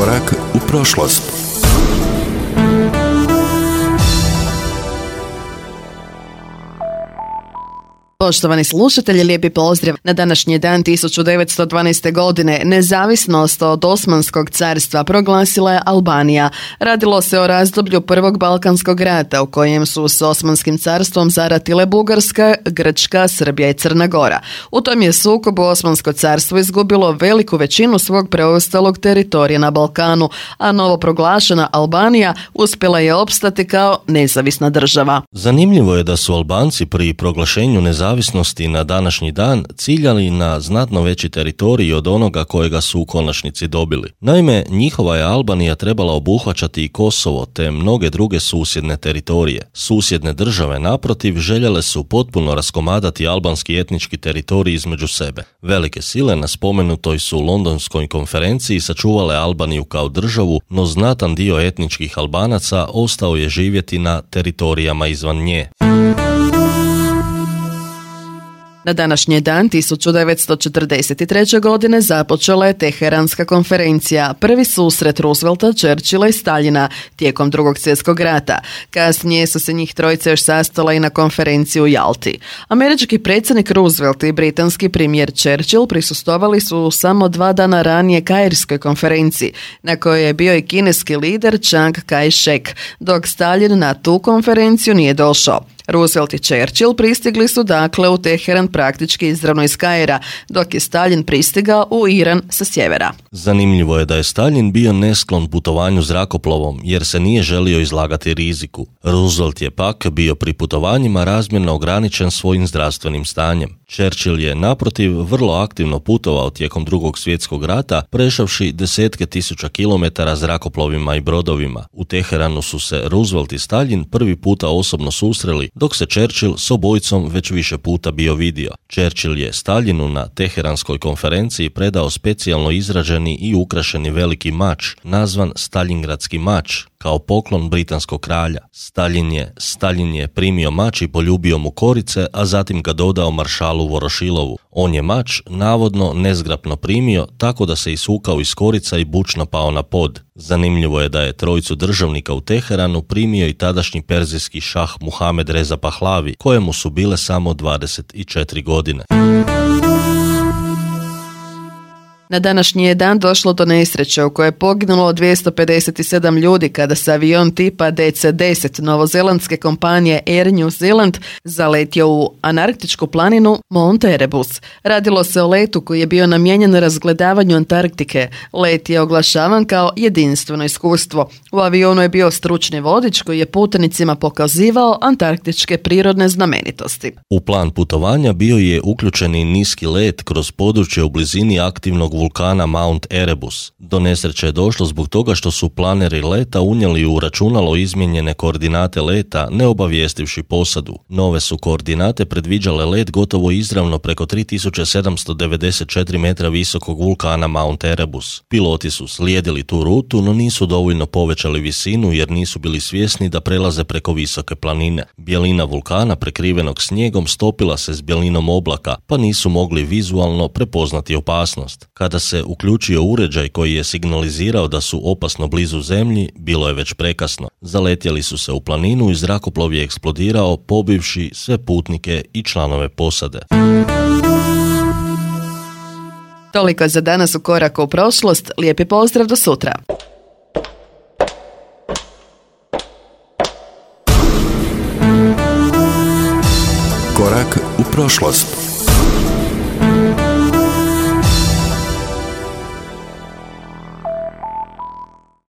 Korak u prošlost. Poštovani slušatelji, lijepi pozdrav. Na današnji dan 1912. godine nezavisnost od Osmanskog carstva proglasila je Albanija. Radilo se o razdoblju Prvog Balkanskog rata u kojem su s Osmanskim carstvom zaratile Bugarska, Grčka, Srbija i Crna Gora. U tom je sukobu Osmansko carstvo izgubilo veliku većinu svog preostalog teritorija na Balkanu, a novo proglašena Albanija uspjela je opstati kao nezavisna država. Zanimljivo je da su Albanci pri proglašenju nezavisnosti na današnji dan ciljali na znatno veći teritorij od onoga kojega su u konačnici dobili. Naime, njihova je Albanija trebala obuhvaćati i Kosovo te mnoge druge susjedne teritorije. Susjedne države, naprotiv, željele su potpuno raskomadati albanski etnički teritorij između sebe. Velike sile na spomenutoj su Londonskoj konferenciji sačuvale Albaniju kao državu, no znatan dio etničkih Albanaca ostao je živjeti na teritorijama izvan nje. Na današnji dan 1943. godine započela je Teheranska konferencija, prvi susret Roosevelta, Churchilla i Staljina tijekom Drugog svjetskog rata. Kasnije su se njih trojica još sastala i na konferenciji u Jalti. Američki predsjednik Roosevelt i britanski premijer Churchill prisustvovali su samo 2 dana ranije Kairskoj konferenciji, na kojoj je bio i kineski lider Chiang Kai-shek, dok Staljin na tu konferenciju nije došao. Roosevelt i Churchill pristigli su dakle u Teheran praktički izravno iz Kaira, dok je Staljin pristigao u Iran sa sjevera. Zanimljivo je da je Staljin bio nesklon putovanju zrakoplovom jer se nije želio izlagati riziku. Roosevelt je pak bio pri putovanjima razmjerno ograničen svojim zdravstvenim stanjem. Churchill je naprotiv vrlo aktivno putovao tijekom Drugog svjetskog rata, prešavši desetke tisuća kilometara zrakoplovima i brodovima. U Teheranu su se Roosevelt i Staljin prvi puta osobno susreli, dok se Churchill s obojicom već više puta bio vidio. Churchill je Staljinu na Teheranskoj konferenciji predao specijalno izrađeni i ukrašeni veliki mač, nazvan Staljingradski mač, kao poklon britanskog kralja. Staljin je primio mač i poljubio mu korice, a zatim ga dodao maršalu Vorošilovu. On je mač navodno nezgrapno primio, tako da se isukao iz korica i bučno pao na pod. Zanimljivo je da je trojicu državnika u Teheranu primio i tadašnji perzijski šah Muhamed Reza Pahlavi, kojemu su bile samo 24 godine. Na današnji je dan došlo do nesreće u kojoj je poginulo 257 ljudi kada se avion tipa DC-10 novozelandske kompanije Air New Zealand zaletio u antarktičku planinu Mount Erebus. Radilo se o letu koji je bio namijenjen razgledavanju Antarktike. Let je oglašavan kao jedinstveno iskustvo. U avionu je bio stručni vodič koji je putnicima pokazivao antarktičke prirodne znamenitosti. U plan putovanja bio je uključen i niski let kroz područje u blizini aktivnog vulkana Mount Erebus. Do nesreće je došlo zbog toga što su planeri leta unijeli u računalo izmijenjene koordinate leta, ne obavijestivši posadu. Nove su koordinate predviđale let gotovo izravno preko 3794 metra visokog vulkana Mount Erebus. Piloti su slijedili tu rutu, no nisu dovoljno povećali visinu jer nisu bili svjesni da prelaze preko visoke planine. Bjelina vulkana prekrivenog snijegom stopila se s bjelinom oblaka, pa nisu mogli vizualno prepoznati opasnost. Kada se uključio uređaj koji je signalizirao da su opasno blizu zemlji, bilo je već prekasno. Zaletjeli su se u planinu i zrakoplov je eksplodirao, pobivši sve putnike i članove posade. Toliko za danas u Koraku u prošlost. Lijepi pozdrav, do sutra. Korak u prošlost.